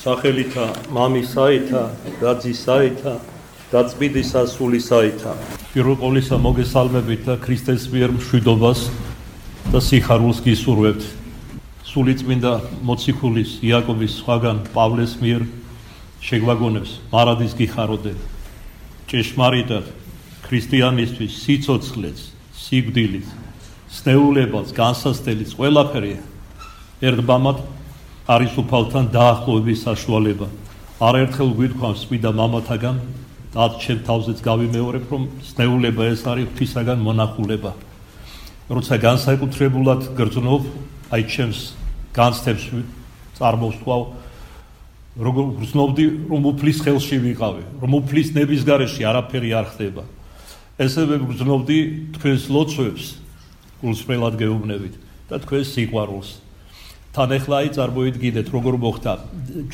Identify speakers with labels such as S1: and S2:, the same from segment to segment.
S1: სახელითა მამისაითა და ძისაითა და წმინდისა სულისაითა. პირველ ყოვლისა მოგესალმებით და ქრისტეს მიერ მშვიდობას და სიხარულს გისურვებთ. სულიწმინდა მოციქულის იაკობის სხვაგან პავლეს მიერ შეგვაგონებს მარადის გიხაროდე. ჭეშმარიტად ქრისტიანისთვის სიცოცხლეც, სიკვდილიც, სნეულებაც, განსასწრებიც ყველაფერი ერთბამად არის უფალთან დაახლოების საშუალება. არაერთხელ გვითქვამს წმინდა მამათაგან და ჩემ თავზეც გავიმეორებ, რომ სნეულება ეს არის ღვთისაგან მონახულება. როცა განსაკუთრებულად გრძნობ, აი ჩემს განცდებს წარმოვსვავ, როგორ გრძნობდი, რომ უფლის ხელში ვიყავი, რომ უფლის ნების გარეშე არაფერი არ ხდება. ესევე გრძნობდი თქვენს ლოცვებს, გულსრველად გეუბნებით და თქვენს სიყვარულს. თან ახლა აი წარმოიდგინეთ, როგორ მოხდა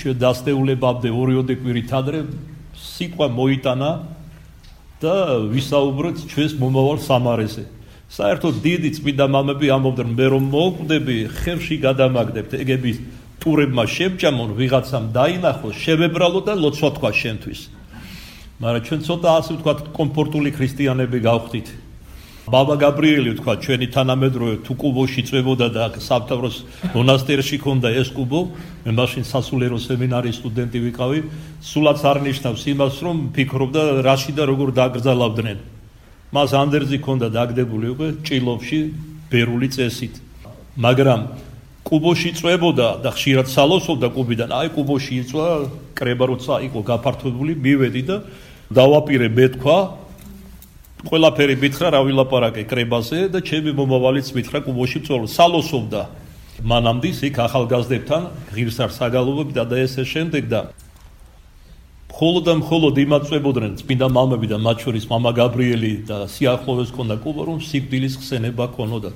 S1: ჩვენ დასნეულებამდე 2 კვირით ადრე სიტყვა მოიტანა და ვისაუბრეთ ჩვენს მომავალ სამარეზე. საერთოდ დიდი წმინდა მამები ამბობდნენ, მე რომ მოვკვდები, ხევში გადამაგდებთ, ეგები ტურებმა შემჭამონ, ვიღაცამ დაინახოს, შევებრალო და ლოცვა თქვა შენთვის. მაგრამ ჩვენ ცოტა ასე ვთქვათ, კომფორტული ქრისტიანები გავხდით. ბაბა გაბრიელი თქვა, ჩვენი თანამედროვე თუ კუბოში წვებოდა და სამთავროს მონასტერში ქონდა ეს კუბო, მე მაშინ სასულიერო სემინარის სტუდენტი ვიყავი, სულაც არ ნიშნავს იმას, რომ ფიქრობდა რაში და როგორ დაგრძალავდნენ. მას ანდერძი ქონდა დაგდებული უკვე ჭილოვში ბერული წესით. მაგრამ კუბოში წვებოდა და ხშირად სალოსობდა კუბიდან, აი კუბოში იწვა, კრება როცა იყო გაფართოებული, მივედი და დავაპირე მეთქვა, ყველაფერი მითხრა რა ვილაპარაკე კრებაზე და ჩემი მომავალიც მითხრა კუბოში წვეულ, სალოსობდა. მანამდე იქ ახალგაზრდებთან ღირსარ საგალობებდა და ესე შემდეგ და მხოლოდ იმაწვებოდნენ წმინდა მამები და მათ შორის მამა გაბრიელი და სიახლოვეს ქონდა კუბა, რომ სიკვდილის ხსენება ქონოდა.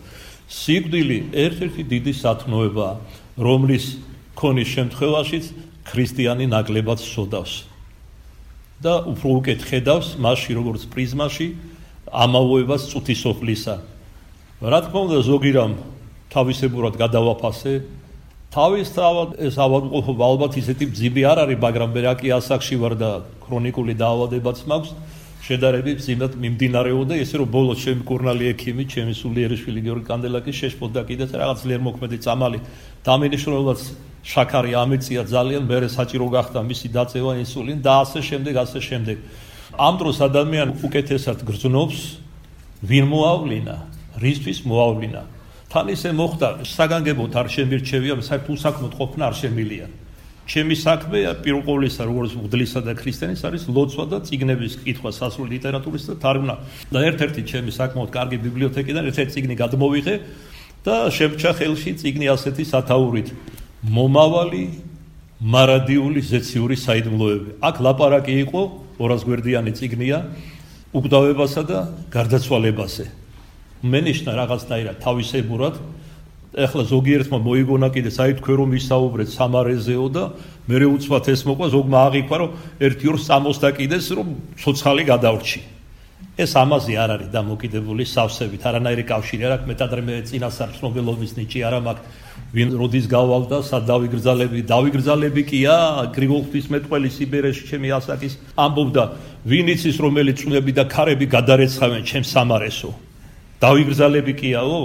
S1: სიკვდილი ერთ-ერთი დიდი სათნოებაა, რომლის ქონის შემთხვევაშიც ქრისტიანი ნაკლებად სოდავს და უფრო უკეთ ხედავს მასში, როგორც პრიზმაში, ამავოებას წუთისოფლისა. რა თქმა უნდა, ზოგი რამ თავისებურად გადავაფასე, თავისთავად ეს ავადმყოფობა ალბათ ისეთი მძიმე არ არის, მაგრამ მე რა კი ასაკში ვარ და ქრონიკული დაავადებაც მაქვს, შედარებით მძიმედ მიმდინარეობდა, ესე რომ ბოლოს ჩემი კურნალი ექიმი, ჩემი სულიერიშვილი გიორგი კანდელაკი შეშფოთდა კიდეც რაღაც ძლიერ მოქმედი წამალი. დამინიშნებაც შაქარი ამეწია ძალიან, მერე საჭირო გახდა მისი დაწევა ინსულინი და ასე შემდეგ. ამ დროს ადამიანი უკეთესად გრძნობს, ვინ მოავლინა, რისთვის მოავლინა. თან ისე მოხდა, საგანგებოდ არ შემირჩევია, საერთოდ უსაქმოდ ყოფნა არ შემილია. ჩემი საქმე პირველ ყოვლისა, როგორც მღვდლისა და ქრისტიანის არის ლოცვა და წიგნების კითხვა სასულიერო ლიტერატურის და თარგმნა. და ერთ-ერთი ჩემი საკმაოდ კარგი ბიბლიოთეკიდან ერთ-ერთი წიგნი გადმოვიღე და შემჭა ხელში წიგნი ასეთი სათაურით. მომავალი მარადიული ზეციური საიდუმლოები. აქ ლაპარაკი იყო 200 გვერდიანი წიგნია უკვდავებასა და გარდაცვალებაზე. მენიშნა რაღაცნაირად თავისებურად. ეხლა ზოგიერთმა მოიგონა კიდე, აი თქვენ რომ ისაუბრეთ სამარეზეო და მე უცბად ეს მოყვა, ზოგმა აღიქვა, რომ 1-2 წამოსდა კიდეს, რომ ცოცხალი გადავრჩი. ეს ამაზე არ არის დამოკიდებული სავსებით, არანაირი კავშირი არ აქვს, მეტად მე წინასწარ ცნობილობის ნიჭი არ მაქვს, ვინ როდის გავალ და სად დავიგრძალები კია, გრიგოლ ღვთისმეტყველი სიბერეში ჩემი ასაკის ამბობდა, ვინ იცის რომელი წვები და ქარები გადარეცხავენ ჩემ სამარესო. დავიგრძალები კიაო?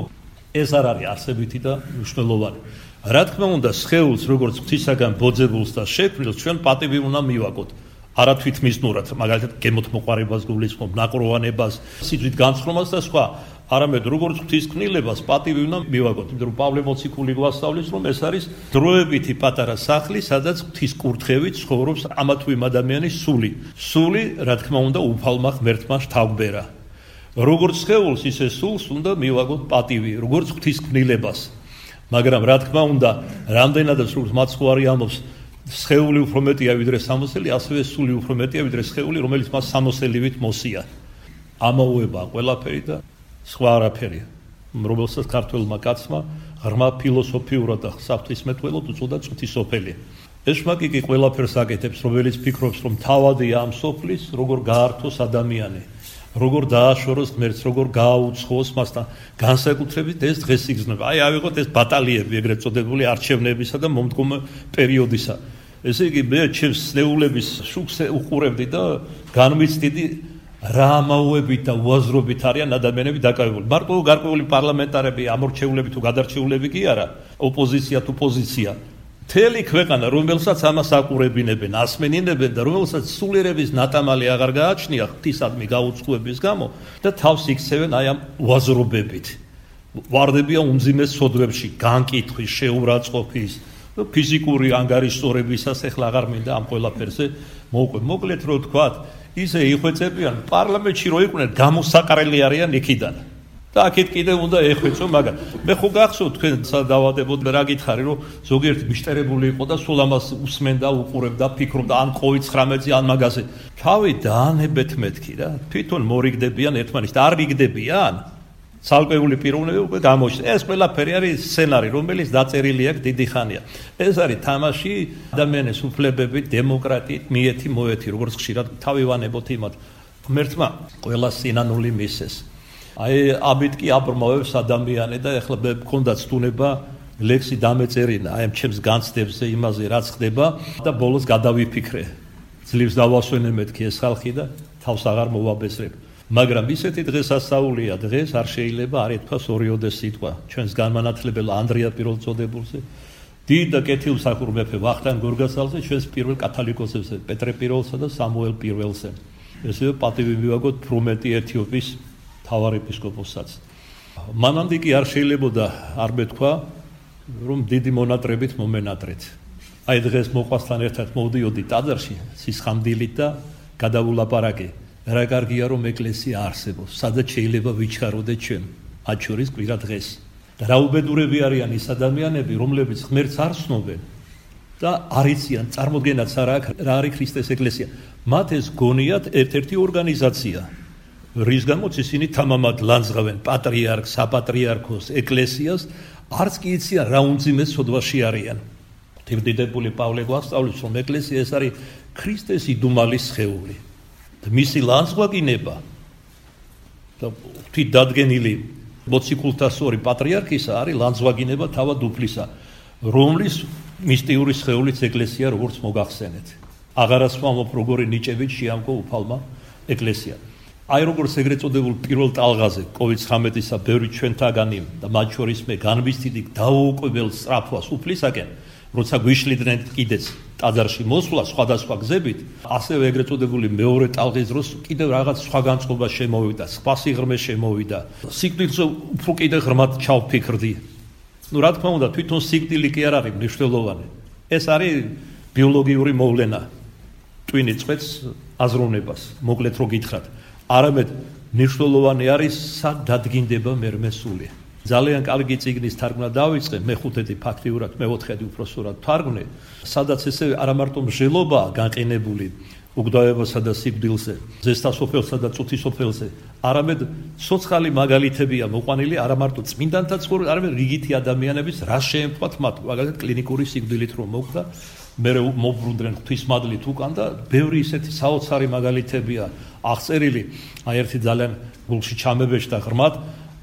S1: ეს არ არის არსებითი და მნიშვნელოვანი. რა თქმა უნდა, სხეულს როგორც ღვთისაგან ბოძებულს და შექმნილს ჩვენ პატივი უნდა მივაგოთ. არა თვითმისნურად, მაგალითად გემოთ მოყარებას გულისხმობ, ნაკროვანებას, სიძვით განცხრომას და სხვა, არამედ როგორც ღვთისკვნილებას პატივი უნდა მივაგოთ. იმიტომ რომ პავლე მოციქული გვასწავლის, რომ ეს არის დროებითი პატარა სახლი, სადაც ღვთის კურთხევით ცხოვრობს ამა თუ იმ ადამიანის სული. სული, რა თქმა უნდა, უფალმა ღმერთმა შთაგვბერა. როგორც სხეულს, ისე სულს უნდა მივაგოთ პატივი, როგორც ღვთისკვნილებას. მაგრამ რა თქმა უნდა, რამდენადაც როგორც მაცხვარი ამბობს, სხეული უფრო მეტია ვიდრე სამოსელი, ასევე სული უფრო მეტია ვიდრე სხეული, რომელიც მას სამოსელივით მოსია. ამაოებაა ყველაფერი და სხვა არაფერია, რომელსაც ქართველმა კაცმა ღრმა ფილოსოფიურად და საფრთხისმეტყველოდ უწოდა წუთისოფელი. ეშმაკი კი ყველაფერს აკეთებს, რომელიც ფიქრობს, რომ თავადია ამ სოფლის, როგორ გაართოს ადამიანი. როგორ დააშოროს ღმერთს, როგორ გააუცხოს მასთან, განსაკუთრებით ეს დღეს იგრძნობა. აი ავიღოთ ეს ბატალიები, ეგრეთ წოდებული არჩევნებისა და მომდგომ პერიოდისა. ესე იგი მე ჩემს ნეულების შუქს უყურებდი და განვიცდიდი რა ამაოებით და უაზრობით არიან ადამიანები დაკავებული. მარტო გარკვეული პარლამენტარები, ამორჩეულები თუ გადარჩეულები კი არა, ოპოზიცია თუ პოზიცია. მთელი ქვეყანა, რომელსაც ამას აყურებინებენ, ასმენინებენ და რომელსაც სულიერების ნატამალი აღარ გააჩნია ღვთისადმი გაუწყუების გამო და თავს იქცევენ აი ამ უაზრობებით. ვარდებიან უმძიმეს სოდვებში, განკითხვის, შეურაცხყოფის, ფიზიკური ანგარიშწორებისას ეხლა აღარ მინდა ამ ყველაფერზე მოვყვე. მოკლედ რო ვთქვათ, ისე იხვეწებიან პარლამენტში რო იყვნენ გამოსაყრელი არიან იქიდან. და აქეთ კიდე უნდა ეხვეწო, მაგრამ მე ხო გახსოვთ თქვენ სადავადებოდ რა გითხარი, რომ ზოგიერთი მიშტერებული იყო და სულ ამას უსმენდა, უყურებდა, ფიქრობდა ან COVID-19-ზე, ან მაგაზე. თავი დაანებეთ მეთქი რა. თვითონ მორიგდებიან ერთმანეთს და არ რიგდებიან. ცალკეული პიროვნები უკვე გამოჩნდა. ეს ყველაფერი არის სცენარი, რომელიც დაწერილი აქვს დიდი ხანია. ეს არის თამაში ადამიანის უფლებები, დემოკრატიით, მიეთი მოეთი, როგორც ხშირად თავი ვანებოთ იმათ. ღმერთმა ყველა სინანული მისცეს. აი ამით კი აბრმავებს ადამიანი და ეხლა მე მქონდა ცდუნება ლექსი დამეწერინა აი ამ ჩემს განცდებზე იმაზე რაც ხდება და ბოლოს გადავიფიქრე. ძლივს დავასვენე მეთქი ეს ხალხი და თავს აღარ მოვაბეზრებ. მაგრამ ისეთი დღესასწაულია დღეს არ შეიძლება არ ეთქვას ორიოდე სიტყვა ჩვენს განმანათლებელ ანდრია პირველწოდებულზე დიდ და კეთილმსახურ მეფე ვახტანგ გორგასალზე ჩვენს პირველ კათოლიკოსებზე პეტრე პირველსა და სამუელ პირველზე ესე პატივი მივაგოთ ფრუმეტი ეთიოპიის თავარ ეპისკოპოსსაც მანამდე კი არ შეიძლებოდა არ მეთქვა რომ დიდი მონატრებით მომენატრეთ აი დღეს მოყვასთან ერთად მოვდიოდი ტაძარში სისხამდილით და გადავულაპარაკე რა კარგია რომ ეკლესია არსებობს სადაც შეიძლება ვიჩქაროდეთ ჩვენ მათ შორის კვირა დღეს და რა უბედურები არიან ის ადამიანები რომლებიც ღმერთს არ ცნობენ და არ იციან წარმოდგენაც არ აქვს რა არის ქრისტეს ეკლესია მათ ეს გონიათ ერთ-ერთი ორგანიზაცია რის გამოც ისინი თამამად ლანძღავენ პატრიარქს საპატრიარქოს ეკლესიას არც კი იციან რა უმძიმეს სოდვაში არიან თემდიდებული პავლე გვასწავლის რომ ეკლესია ეს არის ქრისტეს იდუმალის სხეული მისი ლანძღვაგინება და თვით დადგენილი მოციქულთასორი პატრიარქისა არის ლანძღვაგინება თავად უფლისა რომლის მისტიური სხეულიც ეკლესია როგორც მოგახსენეთ აღარასვამობ როგორი ნიჭებით შეამკო უფალმა ეკლესია აი როგორც ეგრეთ წოდებულ პირველ ტალღაზე COVID-19-ისა ბევრი ჩვენთაგანი და მათ შორის მე განვიცდიდი დაუკვებელ სწრაფვას უფლისაკენ როცა გვიშლიდნენ კიდეც ტაძარში მოსვლა სხვადასხვა გზებით ასევე ეგრეთ წოდებული მეორე ტალღის დროს კიდევ რაღაც სხვა განწყობა შემოვიდა სხვა სიღრმე შემოვიდა სიკვდილზე უფრო კიდევ ღრმად ჩავფიქრდი ну რა თქმა უნდა თვითონ სიკვდილი კი არ არის მნიშვნელოვანი ეს არის ბიოლოგიური მოვლენა ტვინი წვეთს აზროვნებას მოკლედ რო გითხრათ არამედ მნიშვნელოვანი არის სად დადგინდება მერმესული ძალიან კარგი წიგნის თარგმნა დავიწყე მეხუთედი ფაქტიურად მეოთხედი უпроსურად თარგმნე სადაც ესე არა მარტო მსჯელობაა განყინებული უგდავებასა და სიკვდილზე ზესტასოფელსა და წუთისოფელზე არამედ სოციალური მაგალითებია მოყვანილი არა მარტო წმინდანთა ცხოვრებაში არამედ რიგითი ადამიანების რა შეემთხვათ მათ მაგალითად კლინიკური სიკვდილით რომ მოხდა მე მოვბრუნდნენ ღვთისმადლით უკან და ბევრი ისეთი საოცარი მაგალითებია აღწერილი აი ერთი ძალიან გულში ჩამებეჭდა ღრმად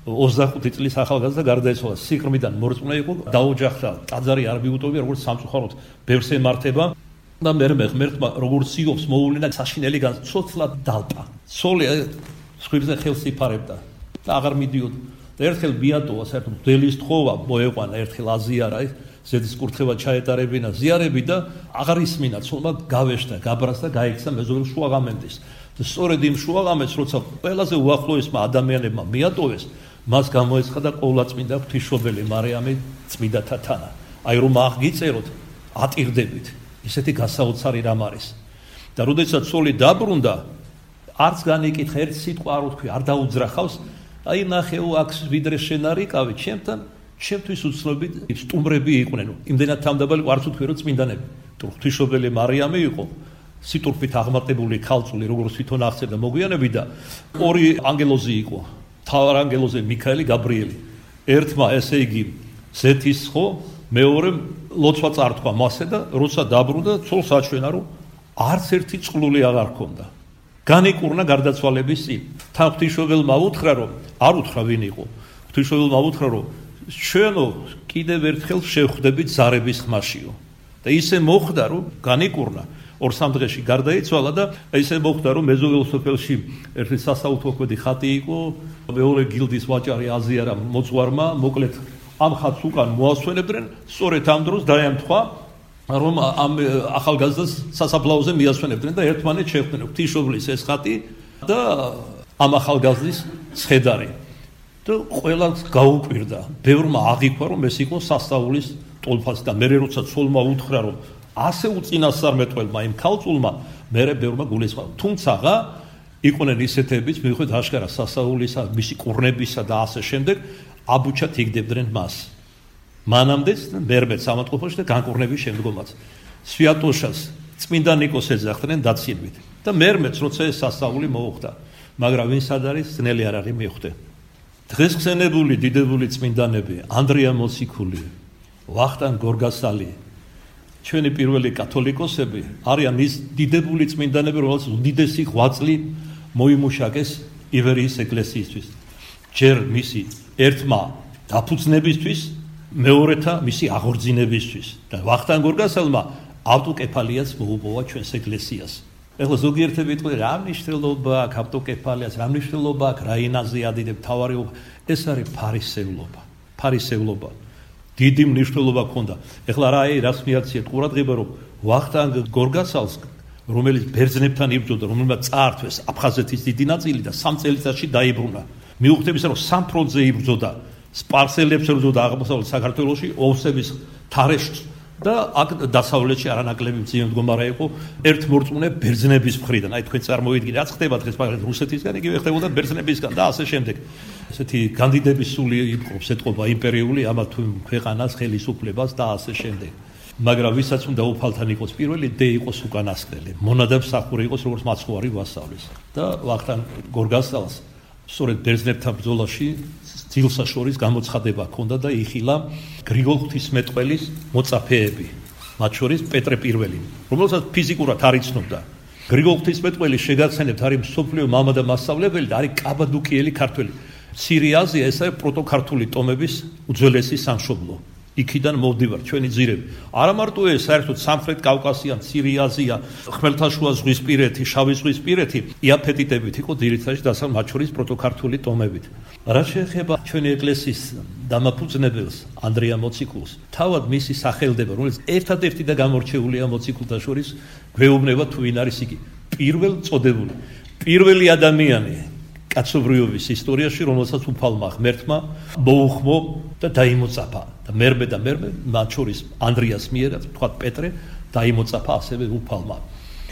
S1: 25 წლის ახალგაზრდა გარდაეცვალა სიღრმიდან მორწმუნე იყო დაოჯახდა ტაძარი არ მიუტოვია როგორც სამწუხაროდ ბევრს ემართება და მე ღმერთმა როგორც სიობს მოუვლინა საშინელი განცოცლად დალპა სოლი სხვებზე ხელს იფარებდა და აღარ მიდიოდა და ერთხელ ბიატოვა საერთოდ დელის თხოვა მოეყვანა ერთხელ აზიარა ზედის კურთხევა ჩაეტარებინა ზიარები და აღარ ისმინა ცოლმა გავეშთა გაბრას და გაიქცა მეზობელ შუაღამენტის და სწორედ იმ შუაღამენტს როცა ყველაზე უახლოესმა ადამიანებმა მიატოვეს მას გამოეცხადა ყოვლადწმინდა ღვთისმშობელი მარიამი წმინდათა თანა აი რომ აღგიწეროთ ატირდებით ისეთი გასაოცარი რამ არის და როდესაც სოლი დაბრუნდა არც განიკითხა ერთ სიტყვა არ უთქვი არ დაუძრახავს აი ნახეო აქ ვიდრე შენ არიყავი ჩემთან ჩემთვის უცნობი სტუმრები იყვნენ იმდენად თამდაბალი არც უთქვი რომ წმინდანები თუ ღვთისმშობელი მარიამი იყო სიტურფით აღმატებული ქალწული როგორც თვითონ აღწერდა მოგვიანებით და ორი ანგელოზი იყო თავარ ანგელოზე მიქაელი გაბრიელი ერთმა ესე იგი ზეთის ხო მეორე ლოცვა წართვა მასე და როცა დაბრუნდა ცოლს აჩვენა რომ არც ერთი წყლული აღარ ჰქონდა განიკურნა გარდაცვალების წინ თან ღვთისმშობელმა უთხრა რომ არ უთხრა ვინ იყო ღვთისმშობელმა უთხრა რომ ჩვენო კიდევ ერთხელ შევხვდებით ზარების ხმაშიო და ისე მოხდა, რომ განიკურნა 2-3 დღეში გარდაიცვალა და ისე მოხდა, რომ მეზობელ სოფელში ერთი სასაუთოქმედი ხატი იყო, მეორე გილდის ვაჭარი აზიარა მოძღვარმა, მოკლედ ამ ხატს უკან მოასვენებდნენ, სწორედ ამ დროს დაემთხვა, რომ ამ ახალგაზრდას სასაფლაოზე მიასვენებდნენ და ერთმანეთს შეხვდნენ ღვთისმშობლის ეს ხატი და ამ ახალგაზრდის ცხედარი. და ყველას გაუკვირდა, ბევრმა აღიქვა, რომ ეს იყო სასწაულის ტოლფასი და მერე როცა ცოლმა უთხრა, რომ ასე უწინასწარმეტყველმა იმ ქალწულმა, მერე ბევრმა გულისხმობა. თუმცა იყვნენ ისეთებიც, მიუხედავად აშკარა სასწაულისა, მისი კურნებისა და ასე შემდეგ, აბუჩად იგდებდნენ მას. მანამდეც მერმეც სამართყოფოში და განკურნების შემდგომაც. სვიატოშას წმინდა ნიკოს ეძახდნენ დაცინვით და მერმეც როცა ეს სასწაული მოუხდა, მაგრამ ვინც არ არის, ძნელი არ არის მიხვდე. დღეს ხსენებული დიდებული წმინდანები ანდრია მოციქული, ვახტანგ გორგასალი, ჩვენი პირველი კათოლიკოსები არიან ის დიდებული წმინდანები, რომელსაც უდიდესი ღვაწლი მოიმუშაკეს ივერიის ეკლესიისთვის. ჯერ მისი ერთმა დაფუძნებისთვის, მეორეთა მისი აღორძინებისთვის და ვახტანგ გორგასალმა ავტოკეფალიაც მოუპოვა ჩვენს ეკლესიას. ეხლა ზოგიერთები იტყვიან, რა მნიშვნელობა აქვს ავტოკეფალიას, რა მნიშვნელობა აქვს რაინაზე ადიდებ თავარიობა, ეს არის ფარისევლობა. დიდი მნიშვნელობა ჰქონდა. ეხლა რას მიაქციეთ ყურადღება, რომ ვახტანგ გორგასალს, რომელიც ბერძნებთან იბრძოდა, რომელმაც წაართვეს აფხაზეთის დიდი ნაწილი და 3 წელიწადში დაიბრუნა. მიუხედავად რომ სამ ფრონტზე იბრძოდა, სპარსელებს ებრძოდა აღმოსავლეთ საქართველოში, ოვსების თარეშს და აქ დასავლეთში არანაკლები მძიმე მდგომარე იყო ერთ მორწმუნე ბერძნების მხრიდან. აი თქვენ წარმოიდგინეთ, რაც ხდება დღეს მაგალითად რუსეთისგან, იგივე ხდებოდა ბერძნებისგან და ასე შემდეგ. ესეთი კანდიდების სული იყოფს ეთყობა იმპერიული ამა თუ ქვეყანას ხელისუფლებას და ასე შემდეგ. მაგრამ ვისაც უნდა უფალთან იყოს პირველი, დე იყოს უკანასკნელი. მონადაბსახური იყოს როგორც მაცხოვარი ვასალის. და ვახტანგ გორგასალს სწორედ ბერძნებთან ბრძოლაში ძილსა შორის გამოცხადება ჰქონდა და იხილა გრიგოლ ღვთისმეტყველის მოწაფეები, მათ შორის პეტრე პირველი, რომელსაც ფიზიკურად არ იცნობდა. გრიგოლ ღვთისმეტყველი შეგაცენებთ არის მსოფლიო მამა და მასწავლებელი და არის კაბადოკიელი ქართველი. მცირე აზია ეს არის პროტოქართული ტომების უძველესი სამშობლო. იქიდან მოვდივარ ჩვენი ძირები. არა მარტო ეს, საერთოდ სამხრეთ კავკასია, მცირე აზია, ხმელთაშუა ზღვისპირეთი, შავი ზღვისპირეთი, იაფეტიტებით იყო ძირითადად დასავლეთ მათ შორის პროტოქართული ტომებით. რაც შეეხება ჩვენი ეკლესიის დამაფუძნებელს ანდრია მოციქულს, თავად მისი სახელდება, რომელიც ერთადერთი და გამორჩეულია მოციქულთა შორის, გვეუბნება თუ ვინ არის იგი. პირველი ადამიანი კაცობრიობის ისტორიაში, რომელსაც უფალმა ღმერთმა მოუხმო და დაიმოწაფა. და მერმე მათ შორის ანდრიას მიერაც, თქვათ პეტრე, დაიმოწაფა ასევე უფალმა.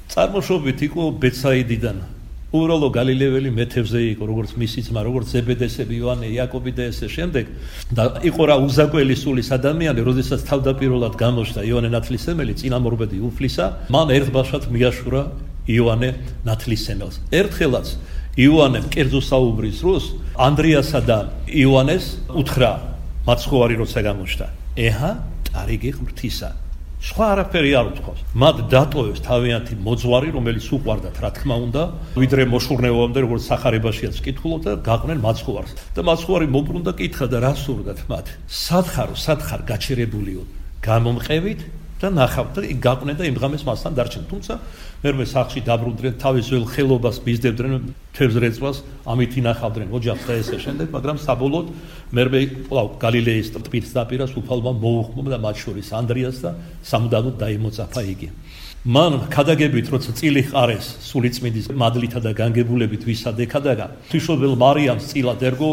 S1: წარმოშობით იყო ბეცაიდიდან. უბრალო გალილეველი მეთევზე იყო, როგორც მისი ძმა, როგორც ზებედესები, იოანე, იაკობი და ესე შემდეგ. და იყო რა უზაკველი სულის ადამიანი, როდესაც თავდაპირველად გამოჩნდა იოანე ნათლისმცემელი, წინამორბედი უფლისა, მან ერთბაშად მიაშურა იოანე ნათლისმცემელს. ერთხელაც იოანემ კერძო საუბრის დროს ანდრიასა და იოანეს უთხრა მაცხოვარი როცა გამოჩნდა, ეჰა ტარიგი ღმრთისა. სხვა არაფერი არ უთქვავს. მათ დატოვეს თავიანთი მოძღვარი, რომელიც უყვარდათ, რა თქმა უნდა, ვიდრე მოშურნეობამდე, როგორც სახარებაშიაც ვკითხულობ და გაყვნენ მაცხოვარს. და მაცხოვარი მობრუნდა, კითხა და რა სურდათ მათ? სათხარ გაჩერებულიო, გამომყევით და ნახავთ და გაყვნენ და იმ დღამეს მასთან დარჩნენ. თუმცა მერმე სახლში დაბრუნდნენ, თავის ძველ ხელობას მისდევდნენ, თევზრეწვას, ამით ინახავდნენ ოჯახს და ესე შემდეგ, მაგრამ საბოლოოდ მერმე გალილეის ტბის დაპირას უფალმა მოუხმო და მათ შორის ანდრიას და სამუდამოდ დაიმოწაფა იგი. მან ქადაგებით, როცა წილი ჰყარეს სულიწმინდის მადლითა და განგებულებით ვისადექადაგა, ღვთისმშობელ მარიამს წილად ერგო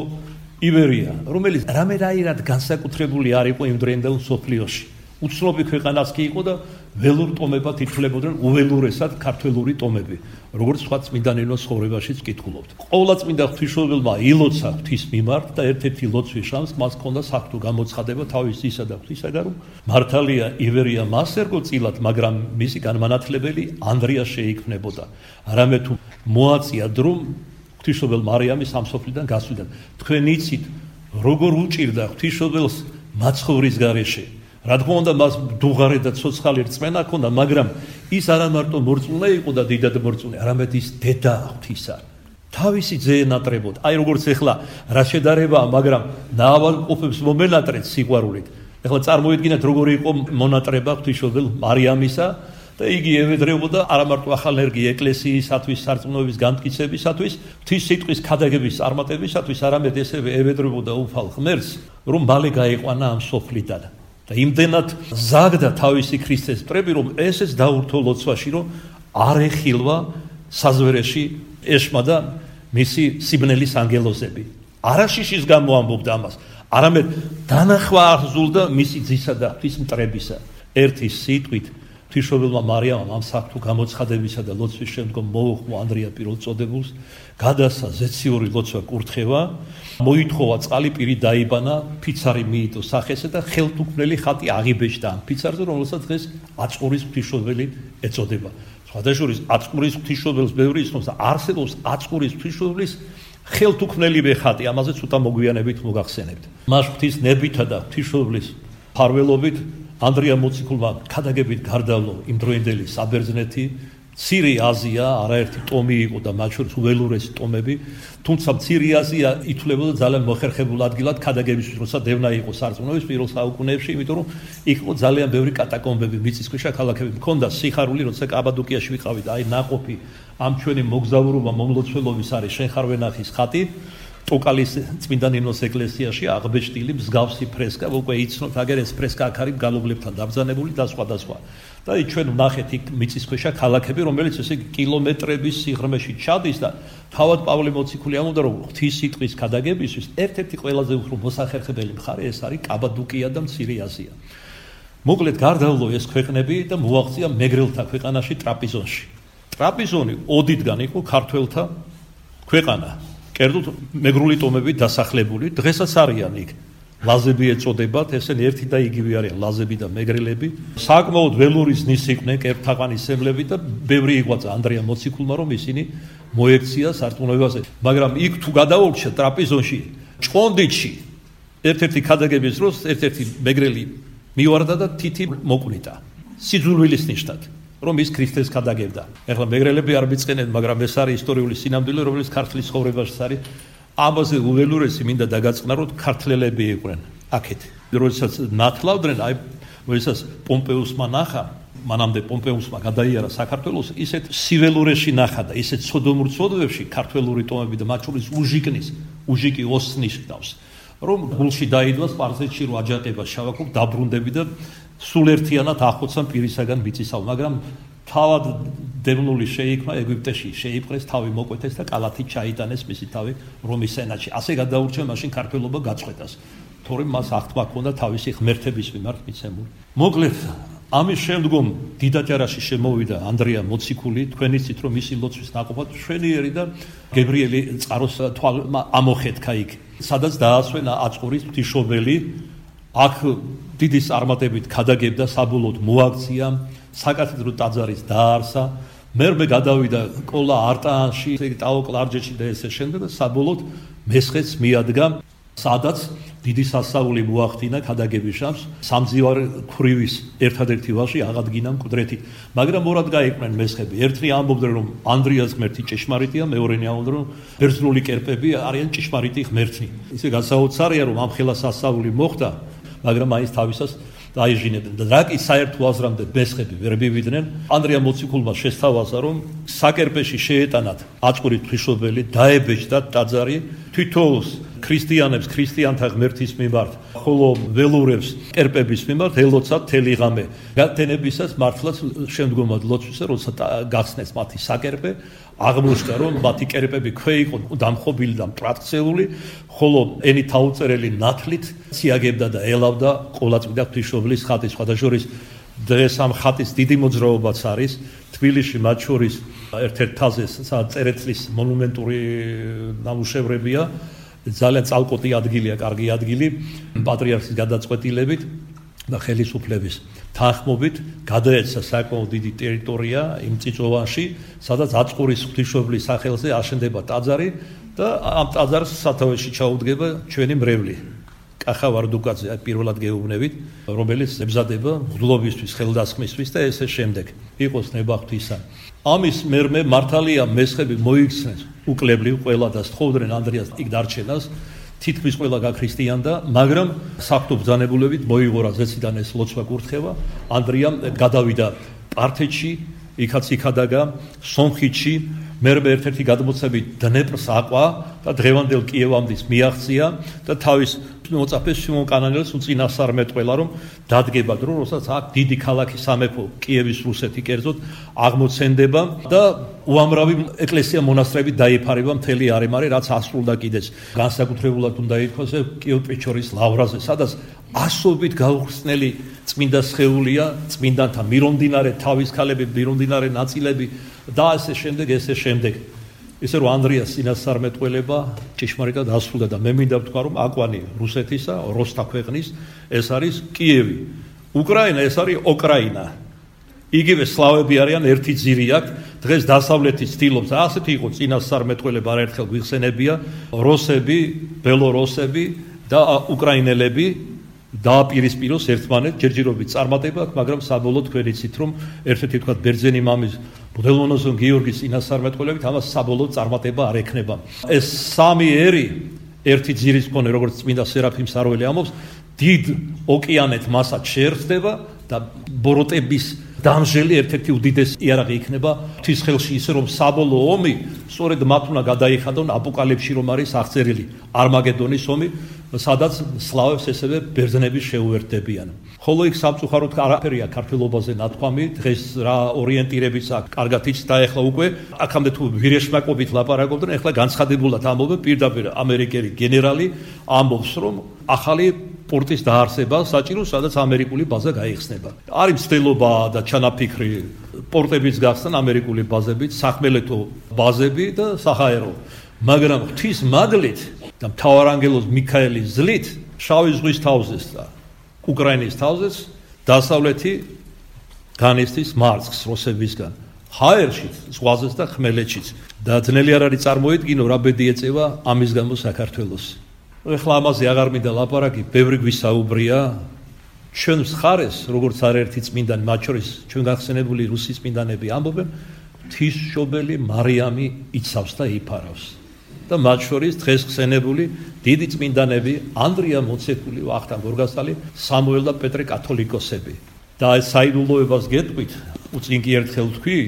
S1: ივერია, რომელიც რამერაირად განსაკუთრებული არ იყო იმ დროინდელ მსოფლიოში. უცნობი ქვეყანაც კი იყო და ველურ ტომებად ითვლებოდნენ უველურესად ქართველური ტომები, როგორც სხვა წმინდანელოს ცხოვრებაშიც ვკითხულობთ. ყოვლადწმინდა ღვთისმშობელმა ილოცა ღვთის მიმართ და ერთ-ერთი ლოცვის შანსს მას ჰქონდა საღვთო გამოცხადება თავის ძისა და ღვთისაგან, რომ მართალია ივერია მას ერგო წილად, მაგრამ მისი განმანათლებელი ანდრია შეიქმნებოდა. არამედ თუ მოაწია დრო ღვთისმშობელ მარიამის ამ სოფლიდან გასვლიდან. თქვენ იცით, როგორ უჭირდა ღვთისმშობელს მაცხოვრის გარეშე. რა თქმა უნდა, მას დუღარე და ცოცხალი რწმენა ჰქონდა, მაგრამ ის არა მარტო მორწმუნე იყო და დიდად მორწმუნე, არამედ ის დედა ღვთისა. თავისი ძე ენატრებოდა. აი როგორც ეხლა რა შედარებაა, მაგრამ ნავალყოფებს მომენატრეთ სიყვარულით. ეხლა წარმოიდგინეთ როგორი იყო მონატრება ღვთისმშობელ მარიამისა და იგი ევედრებოდა არა მარტო ახალ-ერგი ეკლესიისათვის, სარწმუნოების განმტკიცებისათვის, ღვთის სიტყვის ქადაგების წარმატებისათვის, არამედ ესევე ევედრებოდა უფალ ღმერთს, რომ მალე გაიყვანა ამ სოფლიდან. და იმდენად ზაგდა თავისი ქრისტეს მტრები, რომ ესეც დაურთო ლოცვაში, რომ არ ეხილვა საზვერეში ეშმა და მისი სიბნელის ანგელოზები. არაშიშის გამო ამბობდა ამას, არამედ დანახვა აღზულდა მისი ძისა და ღვთის მტრებისა. ერთი სიტყვით ღვთისმშობელმა მარიამამ ამ საქმე გამოცხადებისა და ლოცვის შემდგომ მოუხმო ანდრია პირველწოდებულს, გადასცა ზეციური ლოცვა კურთხევა, მოითხოვა წყალი პირი დაიბანა, ფიცარი მიიტო სახესა და ხელთუქმნელი ხატი აღიბეჭდა ამ ფიცარზე, რომელსაც დღეს აწყურის ღვთისმშობელი ეწოდება. სხვადასხვა აწყურის ღვთისმშობელს ბევრი ისმის და არსებობს აწყურის ღვთისმშობლის ხელთუქმნელივე ხატი, ამაზე ცოტა მოგვიანებით მოგახსენებთ. მას ღვთის ნებითა და ღვთისმშობლის ფარველობით ანდრია მოციქულმა ქადაგებით გარდავლო იმდროინდელი საბერძნეთი, მცირე აზია, არაერთი ტომი იყო და მათ შორის უველურესი ტომები, თუმცა მცირე აზია ითვლებოდა ძალიან მოხერხებულ ადგილად ქადაგებისთვის, როცა დევნა იყო სარწმუნოების პირველ საუკუნეებში, იმიტომ რომ იქ იყო ძალიან ბევრი კატაკომბები, მიწისქვეშა ქალაქები, მქონდა სიხარული, როცა კაბადოკიაში ვიყავით, აი ნაყოფი ამ ჩვენი მოგზაურობა მომლოცველობის არის შენხარვენახის ხატი, ტოკალის წმინდა ნინოს ეკლესიაში აღბეჭდილი მსგავსი ფრესკა, უკვე იცნობთ, აგერ ეს ფრესკა აქ არის გალობლებთან დაბრძანებული და სხვა. და ჩვენ ვნახეთ იქ მიწისქვეშა ქალაქები, რომელიც ესე კილომეტრების სიღრმეში ჩადის და თავად პავლე მოციქული ამბობდა, რომ ღვთის სიტყვის ქადაგებისთვის ერთ-ერთი ყველაზე უფრო მოსახერხებელი მხარე ეს არის კაბადოკია და მცირე აზია. მოკლედ გარდავლო ეს ქვეყნები და მოაღწია მეგრელთა ქვეყანაში ტრაპიზონში. ტრაპიზონი ოდიდან იყო ქართველთა ქვეყანა. კერძოდ მეგრული ტომები დასახლებული, დღესაც არიან იქ. ლაზები ეწოდებათ, ესენი ერთი და იგივე არიან, ლაზები და მეგრელები. საკმაოდ ველური ზნის იყვნენ, კერპთაყვანის სემლები და ბევრი იღვაწა ანდრია მოციქულმა, რომ ისინი მოექცია სარწმუნოებაზე. მაგრამ იქ თუ გადაურჩა ტრაპიზონში, ჭყონდიდში, ერთ-ერთი ქადაგების დროს ერთ-ერთი მეგრელი მივარდა და თითი მოკვლითა. სიძულვილის ნიშნად. რომ ის ქრისტეს ქადაგებდა. ეხლა მეგრელები არ მიწყენენ, მაგრამ ეს არის ისტორიული სინამდვილე, რომელიც ქართლის ცხოვრებაშიც არის. ამაზე უველურესი მინდა დაგაწყნაროთ, ქართველები იყვნენ აქეთ. როდესაც ნათლავდნენ, აი, როდესაც პომპეუსმა ნახა, მანამდე პომპეუსმა გადაიარა საქართველოს, ისეთ სიველურეში ნახა და ისეთ სოდომურ ცოდვებში ქართველური ტომები და მათ შორის უჟიკი ოსნის ჰყავს, რომ გულში დაიდვა სპარსეთში რო აჯანყება შავაკობ დაბრუნდები და სულ ერთიანად ახოცან პირისაგან მიწისავ, მაგრამ თავად დევნული შეიქმნა ეგვიპტეში, შეიპყრეს, თავი მოკვეთეს და კალათით ჩაიტანეს მისი თავი რომის სენატში. ასე გადაურჩა მაშინ ქართველობა გაწყვეტას, თორემ მას აღთქმა ჰქონდა თავისი ღმერთების მიმართ მიცემული. მოკლედ, ამის შემდგომ დიდაჭარაში შემოვიდა ანდრია მოციქული, თქვენ იცით რომ მისი ლოცვის ნაყოფად მშვენიერი და გებრიელი წყაროს თვალმა ამოხეთქა იქ, სადაც დაასვენა აწყურის ღვთისმშობელი. აქ დიდი წარმატებით ქადაგებდა, საბოლოოდ მოაქცია, საკათედრო ტაძარის დაარსა, მერმე გადავიდა კოლა არტაანში, ტაო-კლარჯეთში და ესე შემდეგ და საბოლოოდ მესხეთს მიადგა, სადაც დიდი სასწაული მოახდინა ქადაგების შამს, სამძივარ ქვრივის ერთადერთი ვაჟი აღადგინა მკვდრეთით. მაგრამ ორად გაიყვნენ მესხები. ერთნი ამბობდნენ, რომ ანდრიას ღმერთი ჭეშმარიტია, მეორენი ამბობდნენ, რომ ბერძნული კერპები არიან ჭეშმარიტი ღმერთნი. ისე გასაოცარია, რომ ამ ხელა სასწაული მოხდა, მაგრამ მაინც თავისას დაიჟინებდნენ და რაკი საერთო აზრამდე მესხები ვერ მივიდნენ. ანდრია მოციქულმა შესთავაზა, რომ საკერპეში შეეტანათ აწყურის ღვთისმშობელი, დაებეჭდათ ტაძარი, თითოეულს ქრისტიანებს ქრისტიანთა ღმერთის მიმართ, ხოლო ველურებს კერპების მიმართ ელოცათ მთელი ღამე. გათენებისას მართლაც შემდგომად ლოცვისა, როცა გახსნეს მათი საკერპე, აღმოჩნდა, რომ მათი კერპები ქვე იყო დამხობილი და მტრატქცეული, ხოლო ენით აუწერელი ნათლით ციაგებდა და ელავდა ყოლაწმინდა ღვთისმშობლის ხატის. სხვადასხვა დღეს ამ ხატის დიდი მოძრაობაც არის თბილისში, მათ შორის ერთ-ერთ თაზე წერეთლის მონუმენტური ნამუშევრებია. ძალიან წალკოტი ადგილია, კარგი ადგილი, პატრიარქის გადაწყვეტილებით და ხელისუფლების თანხმობით გადაეცა საკმაოდ დიდი ტერიტორია იმ წიწოვანში, სადაც აწყურის ღვთისმშობლის სახელზე აშენდება ტაძარი და ამ ტაძარს სათავეში ჩაუდგება ჩვენი მრევლი კახა ვარდუკაძე, პირველად გეუბნებით, რომელიც ემზადება მღვდლობისთვის, ხელდასხმისთვის და ესე შემდეგ. იყოს ნება ღვთისა. ამის მერმე მართალია მესხები მოიქცნენ უკლებლივ ყველა და სთხოვდნენ ანდრიას იქ დარჩენას თითქმის ყველა გაქრისტიანდა, მაგრამ საფრთხო ბრძანებულებით მოიღო რა ზეციდან ეს ლოცვა კურთხევა. ანდრიამ გადავიდა პართეთში, იქაც იქადაგა, სომხეთში, მერმე ერთ-ერთი გადმოცემით დნეპრს აყვა და დღევანდელ კიევამდის მიაღწია და თავის მოწაფეს სიმონ კანანელს უწინასწარ მეტყველა, რომ დადგება დრო, როდესაც აქ დიდი ქალაქი სამეფო კიევის რუსეთი კერძოდ აღმოცენდება და უამრავი ეკლესია მონასტრები დაიფარება მთელი არემა, რაც ასრულდა კიდეც განსაკუთრებულად უნდა ითქვას კიევ-პეჩორის ლავრაზე, სადაც ასობით გაუხსნელი წმინდა სხეულია, წმინდანთა მირონდინარე თავის ქალები, მირონდინარე ნაწილები და ასე შემდეგ. ისე რომ ანდრიას წინასწარმეტყველება ჭეშმარიტად ასრულდა და მე მინდა ვთქვა, რომ აკვანი რუსეთისა, როსთა ქვეყნის, ეს არის კიევი. უკრაინა ეს არის ოკრაინა. იგივე სლავები არიან, ერთი ძირი აქვს. დღეს დასავლეთი ცდილობს, ასეთი იყო წინასწარმეტყველება არაერთხელ გვიხსენებია, როსები, ბელორუსები და უკრაინელები დააპირისპიროს ერთმანეთს, ჯერჯერობით წარმატება აქვს, მაგრამ საბოლოოდ თქვენ იცით, რომ ერთ-ერთი თქვა ბერძენი მამის ბუდელმონოზონ გიორგის წინასწარმეტყველებით ამას საბოლოოდ წარმატება არ ექნება. ეს სამი ერი, ერთი ძირის მქონე, როგორც წმინდა სერაფიმ საროელი ამბობს, დიდ ოკეანეთ მასად შეერთდება და ბოროტების დამჟელი ერთ-ერთი უდიდესი იარაღი იქნება ღვთის ხელში, ისე რომ საბოლოო ომი სწორედ მათ უნდა გადაიხადონ აპოკალიფსში, რომ არის აღწერილი არმაგედონის ომი, სადაც სლავებს ესევე ბერძნები შეუერთდებიან. ხოლო იქ სამწუხაროდ არაფერია ქართველობაზე ნათქვამი, დღეს რა ორიენტირებიც აქვს, კარგად იცით და ეხლა უკვე აქამდე თუ ვირეშმაკობით ლაპარაკობდნენ, ეხლა განცხადებულად ამბობენ პირდაპირ ამერიკელი გენერალი ამბობს, რომ ახალი პორტის დაარსება საჭირო, სადაც ამერიკული ბაზა გაიხსნება. არის მცდელობა და ჩანაფიქრი პორტების გახსნა ამერიკული ბაზებით, სახმელეთო ბაზები და საჰაერო. მაგრამ ღვთის მადლით და მთავარანგელოზ მიქაელის ძლით შავი ზღვის თავზეს და უკრაინის თავზეს დასავლეთი განიცდის მარცხს რუსებისგან. ჰაერშიც, ზღვაზეც და ხმელეთშიც. და ძნელი არ არის წარმოედგინო, რა ბედი ეწევა ამის გამო საქართველოს. ეხლა ამაზე აღარ მინდა ლაპარაკი, ბევრი გვისაუბრია. ჩვენ მხარეს, როგორც არაერთი წმინდანი, მათ შორის ჩვენ გახსენებული რუსი წმინდანები ამბობენ, ღვთისმშობელი მარიამი იცავს და იფარავს. და მათ შორის დღეს ხსენებული დიდი წმინდანები, ანდრია მოციქული, ვახტანგ გორგასალი, სამუელ და პეტრე კათოლიკოსები. და ეს საიდუმლოებას გეტყვით, უწინ კი ერთხელ თქვი,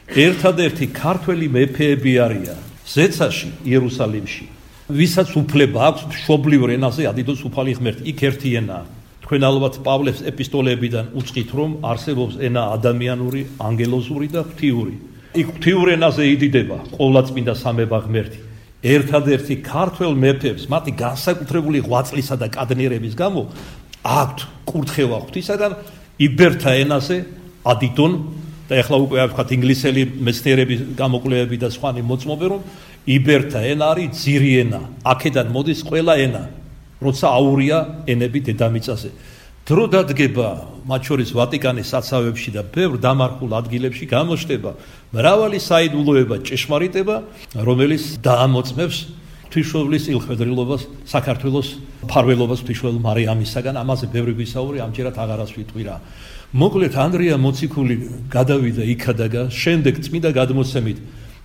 S1: ერთადერთი ქართველი მეფეები არიან ზეცაში, იერუსალიმში. ვისაც უფლება აქვს მშობლიურ ენაზე ადიდოს უფალი ღმერთი, იქ ერთი ენაა. თქვენ ალბათ პავლეს ეპისტოლეებიდან უწყით, რომ არსებობს ენა ადამიანური, ანგელოზური და ღვთიური. იქ ღვთიურ ენაზე იდიდება ყოვლადწმინდა სამება ღმერთი. ერთადერთი ქართველ მეფეებს მათი განსაკუთრებული ღვაწლისა და კადნიერების გამო აქვთ კურთხევა ღვთისაგან იბერთა ენაზე ადიდონ და ეხლა უკვე ვთქვათ ინგლისელი მეცნიერების გამოკვლევები და სხვანი მოწმობენ, რომ იბერთა ენა არის ძირი ენა, აქედან მოდის ყველა ენა, როცა აურია ენები დედამიწაზე. დრო დადგება მათ შორის ვატიკანის საცავებში და ბევრ დამარხულ ადგილებში გამოჩნდება მრავალი საიდუმლოება, ჭეშმარიტება, რომელიც დაამოწმებს ღვთისმშობლის ილხვედრილობას, საქართველოს მფარველობას ღვთისმშობელ მარიამისაგან. ამაზე ბევრი გვისაუბრე, ამჯერად აღარას ვიტყვირა. მოკლედ ანდრია მოციქული გადავიდა იქადაგა, შემდეგ წმინდა გადმოცემით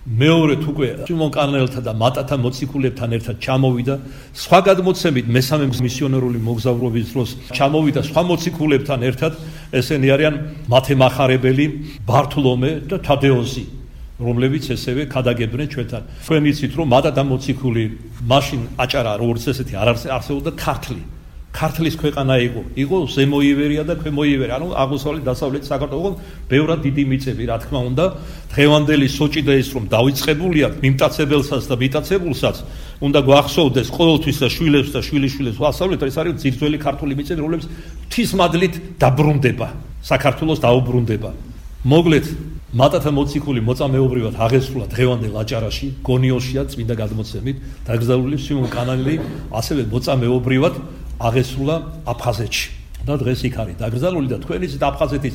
S1: მეორედ უკვე სიმონ კანანელთა და მატათა მოციქულებთან ერთად ჩამოვიდა, სხვა გადმოცემით მესამე მისიონერული მოგზაურობის დროს ჩამოვიდა სხვა მოციქულებთან ერთად, ესენი არიან მათემახარებელი, ბართლომე და თადეოზი, რომლებიც ესევე ქადაგებდნენ ჩვენთან. თქვენ იცით, რომ მატათა მოციქული მაშინ აჭარა, როგორც ესეთი არ არსებობდა ქართლი. ქართლის ქვეყანა იყო ზემო ივერია და ქვემო ივერია, ანუ აღმოსავლეთ დასავლეთ საქართველოს ბევრად დიდი მიწები, რა თქმა უნდა. დღევანდელი სოჭი და ის რომ დაიწყებულია მიმტაცებელსაც და მიტაცებულსაც, უნდა გვახსოვდეს ყოველთვის და შვილებს და შვილიშვილებს ვასწავლეთ, ეს არის ძირძველი ქართული მიწები, რომლებიც ღვთისმადლით დაბრუნდება, საქართველოს დაუბრუნდება. მოკლედ მატათა მოციქული მოწამეობრივად აღესრულა დღევანდელ აჭარაში, გონიოშია წმინდა გადმოცემით, დაკრძალული სიმონ კანანელი ასევე მოწამეობრივად აღესრულა აფხაზეთში და დღეს იქ არის დაკრძალული და თქვენ იცით აფხაზეთის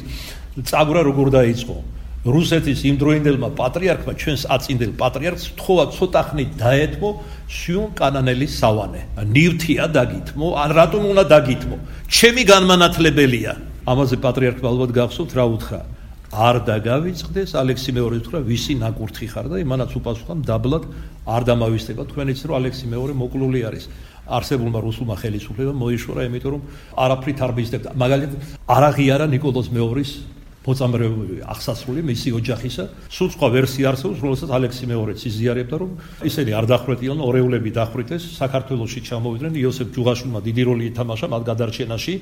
S1: წაგვრა როგორ დაიწყო. რუსეთის იმდროინდელმა პატრიარქმა, ჩვენს აწინდელ პატრიარქს თხოვა ცოტა ხნით დაეთმო სიმონ კანანელის სავანე. ნივთია დაგითმო, ან რატომ უნდა დაგითმო? ჩემი განმანათლებელია. ამაზე პატრიარქმა ალბათ გახსოვთ რა უთხრა. არ დაგავიწყდეს, ალექსი მეორე უთხრა, ვისი ნაკურთხი ხარ და იმანაც უპასუხა, დაბლად არ დამავისდება. თქვენ იცით რომ ალექსი მეორე მოკლული არის. არსებულმა რუსულმა ხელისუფლებამ მოიშორა, იმიტომ რომ არაფრით არ მისდევდა. მაგალითად, არ აღიარა ნიკოლოზ მეორის მოწამრებული აღსასრული მისი ოჯახისა. სულ სხვა ვერსია არსებობს, რომელსაც ალექსი მეორეც იზიარებდა, რომ ისინი არ დახვრეტილან, ორეულები დახვრიტეს, საქართველოში ჩამოვიდნენ, იოსებ ჯუღაშვილმა დიდი როლი ითამაშა მათ გადარჩენაში.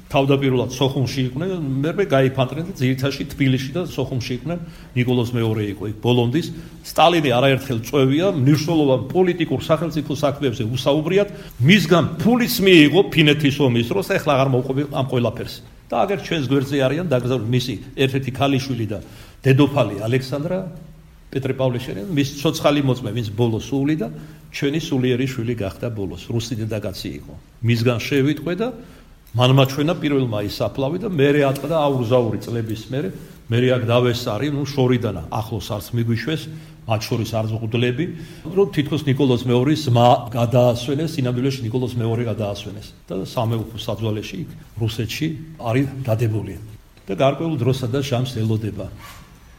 S1: თავდაპირველად სოხუმში იყვნენ, მერმე გაიფანტნენ და ძირითადში თბილისში და სოხუმში იყვნენ. ნიკოლოზ მეორე იყო იქ ბოლომდის. სტალინი არაერთხელ წვევია, მნიშვნელოვან პოლიტიკურ სახელმწიფო საქმეებზე უსაუბრიათ, მისგან ფულიც მიიღო ფინეთის ომის დროს, ეხლა აღარ მოუყვები ამ ყველაფერს. და აგერ ჩვენს გვერდზე არიან დაკრძალული მისი ერთ-ერთი ქალიშვილი და დედოფალი ალექსანდრა პეტრე-პავლეშელი, მის ცოცხალი მოწმე, ვინც ბოლოს სული და ჩვენი სულიერი შვილი გახდა ბოლოს, რუსი დედაკაცი იყო. მისგან შევიტყვე და მან მაჩვენა პირველმა ის აფლავი და მერე ატყდა აურზაური წლების მერე აქ დავესარი, შორიდან ახლოს არც მიგვიშვეს, მათ შორის არც ღუდლები, რომ თითქოს ნიკოლოზ მეორის ძმა გადაასვენეს, სინამდვილეში ნიკოლოზ მეორე გადაასვენეს და სამეუფო საძვალეში იქ რუსეთში არის დადებული. და გარკვეულ დროსა და ჟამს ელოდება.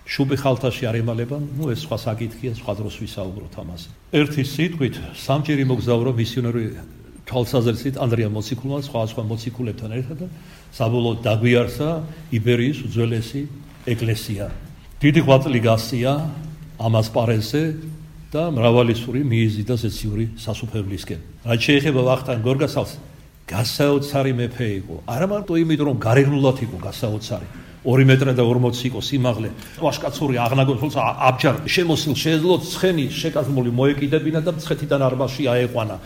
S1: შუბი ხალთაში არ ემალება, ეს სხვა საკითხია, სხვა დროს ვისაუბროთ ამაზე. ერთი სიტყვით, სამჯერ იმოგზაურა მისიონერი თვალსაზრისით ანდრია მოციქულმა სხვა მოციქულებთან ერთად და საბოლოოდ დაგვიარსა იბერიის უძველესი ეკლესია. დიდი ღვაწლი გასწია ამას პარესზე და მრავალი სური მიიზი და ზეციური სასუფევლისკენ. რაც შეეხება ვახტანგ გორგასალს, გასაოცარი მეფე იყო. არა მარტო იმიტომ, რომ გარეგნულად იყო გასაოცარი, 2 მეტრა და 40 იყო სიმაღლე, ვაშკაცური აღნაგობის, თუმცა აბჯარ შემოსილ შეეძლო ცხენი შეკაზმული მოეკიდებინა და მცხეთიდან არმაში აეყვანა.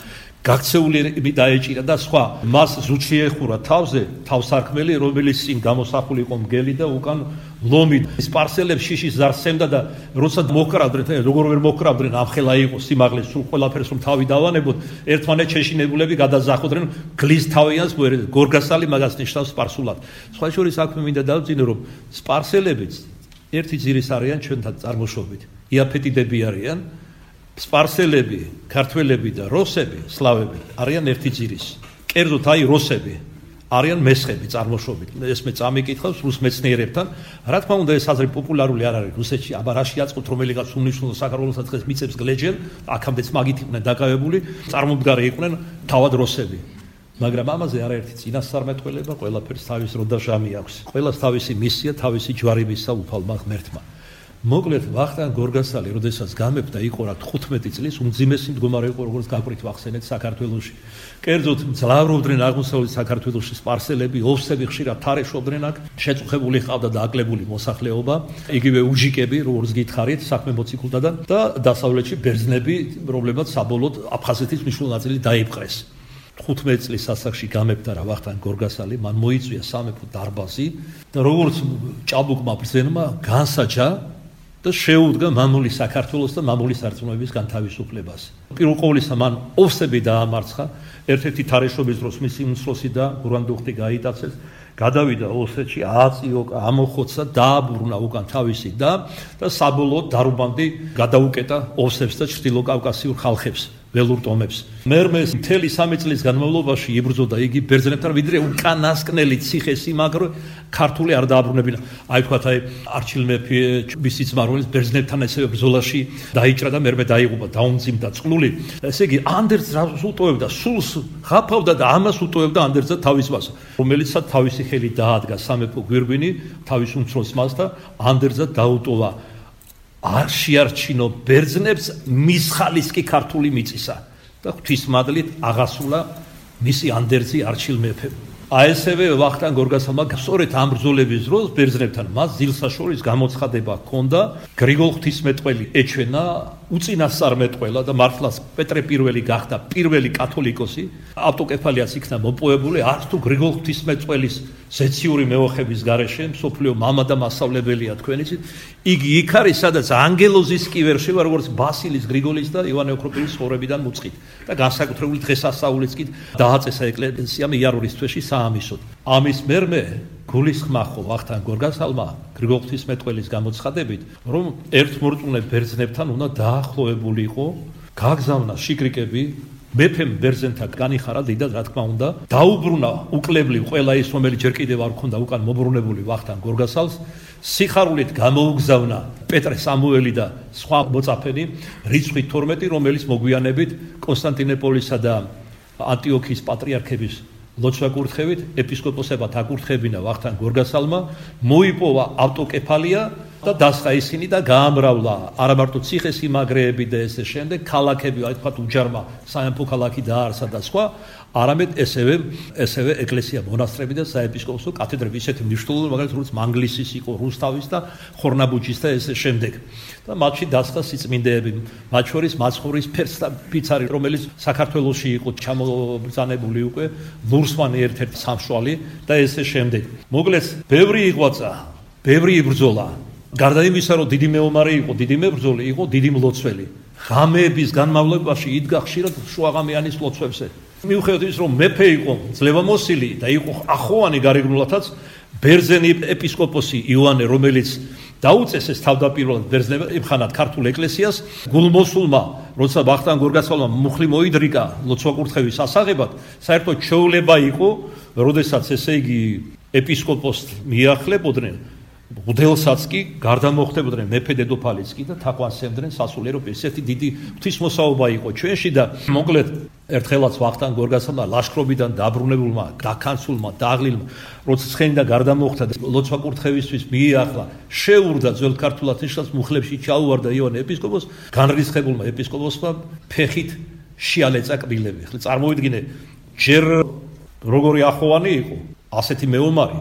S1: გაქცეულები დაეჭირა და სხვა. მას ზუთში ეხურა თავზე თავსარქმელი, რომელიც წინ გამოსახული იყო მგელი და უკან ლომი. სპარსელებს შიშის ზარს სცემდა და როცა მოკრავდნენ, როგორ ვერ მოკრავდნენ, ამხელა იყო სიმაღლე, სულ ყველაფერს რომ თავი დავანებოთ, ერთმანეთს შეშინებულები გადაზახოდნენ, გლის თავიანს გორგასალი მაგას ნიშნავს სპარსულად. სხვა შორის აქვე მინდა დავძინო, რომ სპარსელებიც ერთი ძირის არიან ჩვენთან წარმოშობით. იაფეტიდები არიან. სპარსელები, ქართველები და როსები, სლავები არიან ერთი ძირის. კერძოდ აი როსები არიან მესხები წარმოშობით. ეს მე წამიკითხავს რუს მეცნიერებთან. რა თქმა უნდა ეს აზრი პოპულარული არ არის რუსეთში, აბა რა შეაწყოთ რომელიღაც უნიშნულო საქართველოსაც დღეს მიწებს გლეჯენ, აქამდეც მაგით იყვნენ დაკავებული, წარმომდგარი იყვნენ თავად როსები. მაგრამ ამაზე არაერთი წინასწარმეტყველება, ყველაფერს თავის რო და ჟამი აქვს. ყველას თავისი მისია, თავისი ჯვარებისა უფალმა ღმერთმა. მოკლედ ვახტანგ გორგასალი, როდესაც გამეფდა, იყო რა 15 წლის, უმძიმესი მდგომარე იყო, როგორც გაკვირით ვახსენეთ საქართველოში. კერძოდ ძლავრობდნენ აღმოსავლეთ საქართველოში სპარსელები, ოვსები ხშირად თარეშობდნენ აქ, შეწუხებული ჰყავდა და აკლებული მოსახლეობა, იგივე უჯიკები, როგორც გითხარით, საქმე მოციქულთაგან და დასავლეთში ბერძნები, რომლებმაც საბოლოოდ აფხაზეთის მნიშვნელოვანი ნაწილი დაიპყრეს. 15 წლის ასაკში გამეფდა რა ვახტანგ გორგასალი, მან მოიწვია სამეფო დარბაზი და როგორც ჭაბუკმა ბრძენმა განსაჯა და შეუდგა მამული საქართველოს და მამული სარწმუნოების განთავისუფლებას. პირველ ყოვლისა მან ოვსები დაამარცხა, ერთ-ერთი თარეშობის დროს მისი უმცროსი და გურანდუხტი გაიტაცეს, გადავიდა ოსეთში, ააწიოკა, ამოხოცა, დააბრუნა უკან თავისი და საბოლოოდ დარუბანდი გადაუკეტა ოვსებს და ჩრდილოკავკასიურ ხალხებს. ველურ ტომებს. მერმე მთელი 3 წლის განმავლობაში იბრძოდა იგი ბერძნებთან, ვიდრე უკანასკნელი ციხე-სიმაგრე ქართული არ დააბრუნებინა. აი თქვათ, არჩილ მეფე მისი ძმა, რომელიც ბერძნებთან ესე ბრძოლაში დაიჭრა და მერმე დაიღუპა, დაუმძიმდა წყლული. ესე იგი, ანდერძს რას უტოვებდა, სულს ღაფავდა და ამას უტოვებდა ანდერძსა თავის მას, რომელიცაც თავისი ხელი დაადგა სამეფო გვირგვინი თავის უმცროს მას და ანდერძსა დაუტოვა. არ შეარჩინო ბერძნებს მის ხალისკი ქართული მიწისა და ღვთისმადლით აღასრულა მისი ანდერძი არჩილ მეფემ. ესევე ვახტანგ გორგასალმა სწორედ ამ ბრძოლების დროს ბერძნებთან მას ძილსაშორის გამოცხადება ჰქონდა, გრიგოლ ღვთისმეტყველი ეჩვენა უწინასწარმეტყველა და მართლაც პეტრე პირველი გახდა პირველი კათოლიკოსი, ავტოკეფალიაც იქნა მოპოვებული, არც თუ გრიგოლ ღვთისმეტყველის ზეციური მეოხების გარეშე, მსოფლიო მამა და მასწავლებელია თქვენიცით, იგი იქ არის, სადაც ანგელოზის კი ვერ შევა, როგორც ბასილის, გრიგოლის და ივანე ოქროპირის ცხოვრებიდან მუწყით და განსაკუთრებული დღესასწაულიც კი დააწესა ეკლესიამ იარურის თვეში საამისოდ. ამის მერმე გულისხმა ხო ვახტანგ გორგასალმა გრიგოლ ღვთისმეტყველის გამოცხადებით, რომ ერთმორწმუნე ბერძნებთან უნდა დაახლოებულიყო, გაგზავნა შიკრიკები, მეფემ ბერძენთა განიხარა დიდად, რა თქმა უნდა, დაუბრუნა უკლებლივ ყველა ის, რომელიც ჯერ კიდევ არ ჰქონდა უკან მობრუნებული ვახტანგ გორგასალს, სიხარულით გამოუგზავნა პეტრე სამუელი და სხვა მოწაფენი, რიცხვით 12, რომელიც მოგვიანებით კონსტანტინოპოლისა და ანტიოქიის პატრიარქების ლოცვა კურთხევით, ეპისკოპოსებად აკურთხებინა ვახტანგ გორგასალმა, მოიპოვა ავტოკეფალია და დასხა ისინი და გაამრავლა არა მარტო ციხესიმაგრეები და ესე შემდეგ, ქალაქები, აი თქვათ უჯარმა სამეფო ქალაქი დაარსა და სხვა, არამედ ესევე ეკლესია, მონასტრები და საეპისკოპოსო კათედრები, ისეთი მნიშვნელოვანი, მაგალითად, როგორც მანგლისის იყო, რუსთავის და ხორნაბუჯის და ესე შემდეგ. და მათში დასხა სიწმინდეები, მათ შორის მაცხოვრის ფიცარი, რომელიც საქართველოში იყო ჩამობრძანებული უკვე, ლურსმანი ერთ-ერთი სამშვალი და ესე შემდეგ. მოკლედ, ბევრი იღვაწა, ბევრი იბრძოლა. გარდა იმისა, რომ დიდი მეომარი იყო, დიდი მებრძოლი იყო, დიდი მლოცველი. ღამეების განმავლობაში იდგა ხშირად შუაღამიანის ლოცვებზე. მიუხედავად იმისა, რომ მეფე იყო ძლევამოსილი და იყო ახოვანი გარეგნულათაც, ბერძენი ეპისკოპოსი იოანე, რომელიც დაუწესეს თავდაპირველად ბერძნებად იმხანად ქართულ ეკლესიას, გულმოსულმა, როცა ვახტანგ გორგასალმა მუხლი მოიდრიკა ლოცვა კურთხევის ასაღებად, საერთოდ ჩვეულება იყო, როდესაც ესე იგი ეპისკოპოსს მიახლებოდნენ, მღვდელსაც კი გარდამოხდებოდნენ მეფე დედოფალიც კი და თაყვანსემდნენ სასულიერო ესეთი დიდი ღვთისმოსაობა იყო ჩვენში და მოკლედ ერთხელაც ვახტანგ გორგასალმა ლაშქრობიდან დაბრუნებულმა, დაქანცულმა, დაღლილმა, როცა ცხენდა გარდამოხდა და ლოცვა კურთხევისთვის მიიახლა, შეურდა ძველ ქართულად ნიშნავს მუხლებში ჩაუვარდა იოანე ეპისკოპოსს, განრისხებულმა ეპისკოპოსმა ფეხით შეალეწა კბილები. ხლა წარმოვიდგინე, ჯერ როგორი ახოვანი იყო, ასეთი მეომარი,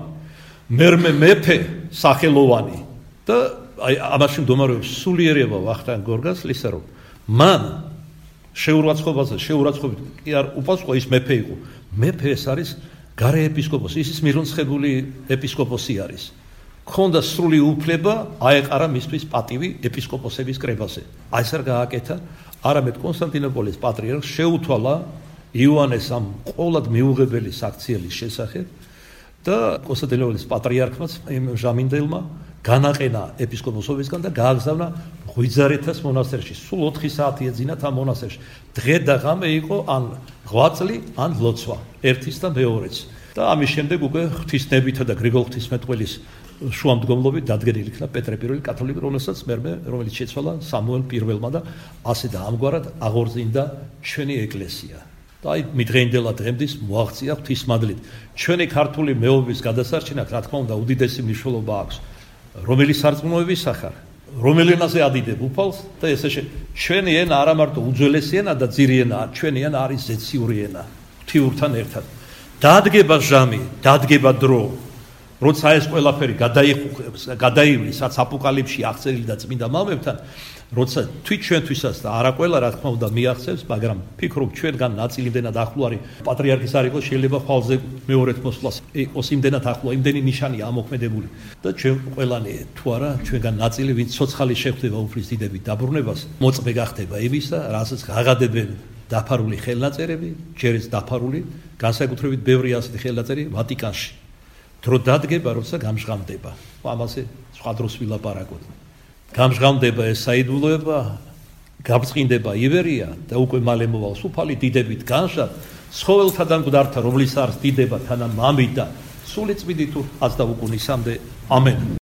S1: მერმე მეფე სახელოვანი და აი ამაში მდგომარეობს სულიერება ვახტანგ გორგასლისა, რომ მან შეურაცხყოფით კი არ უპასუხა, ის მეფე იყო. მეფე ეს არის გარე ეპისკოპოსი, ის მირონცხებული ეპისკოპოსი არის. ქონდა სრული უფლება აეყარა მისთვის პატივი ეპისკოპოსების კრებაზე. აი ეს არ გააკეთა, არამედ კონსტანტინოპოლის პატრიარქს შეუთვალა იოანეს ამ ყოვლად მიუღებელი საქციელის შესახებ და კონსტანტინოპოლის პატრიარქმაც იმ ჟამინდელმა განაყენა ეპისკოპოსობისგან და გააგზავნა ღვიძარეთას მონასტერში. სულ 4 საათი ეძინათ ამ მონასტერში. დღე და ღამე იყო ან ღვაწლი, ან ლოცვა, ერთის და მეორეც. და ამის შემდეგ უკვე ღვთისნებითა და გრიგოლ ღვთისმეტყველის შუამდგომლობით დადგენილი იქნა პეტრე I კათოლიკე, რომელიც შეცვალა სამუელ I-მა და ასე და ამგვარად აღორძინდა ჩვენი ეკლესია. და აი მიდღეინდელა დღემდის მოაღწია ღვთისმადლით. ჩვენი ქართული მეომრის გადასარჩენად, რა თქმა უნდა, უდიდესი მნიშვნელობა აქვს. რომელი სარწმუნოების სახარ, რომელი ენაზე ადიდებ უფალს და ესე ჩვენი ენა არა მარტო უძველესი ენა და ძირი ენაა, ჩვენი ენა არის ზეციური ენა, ღვთიურთან ერთად. დადგება ჟამი, დადგება დრო, როცა ეს ყველაფერი გადაივლის, რაც აპოკალიფსში აღწერილი და წმინდა მამებთან, როცა ჩვენთვისაც და არა ყველა რა თქმა უნდა მიაღწევს, მაგრამ ფიქრობ ჩვენგან ნაწილი იმდენად ახლო არის, პატრიარქის არ იყოს, შეიძლება ხვალზე მეორედ მოსვლას იყოს იმდენად ახლო, იმდენი ნიშანია ამოქმედებული და ჩვენ ყველანი თუ არა ჩვენგან ნაწილი, ვინც ცოცხალი შეხვდება უფლის დიდებით დაბრუნებას, მოწმე გახდება იმისა, რასაც აღადებენ დაფარული ხელნაწერები, ჯერაც დაფარული, განსაკუთრებით ბევრი ასეთი ხელნაწერი ვატიკანში. დრო დადგება, როცა გამჟღავნდება. ამაზე სხვა დროს ვილაპარაკოთ. გამჟღავნდება ეს საიდუმლოება, გაბრწყინდება ივერია და უკვე მალე მოვალს უფალი დიდებით განშად, ცხოველთა და მკვდართა, რომლის არს დიდება თანა მამით და სული წმინდით ას და უკუნისამდე. ამენ.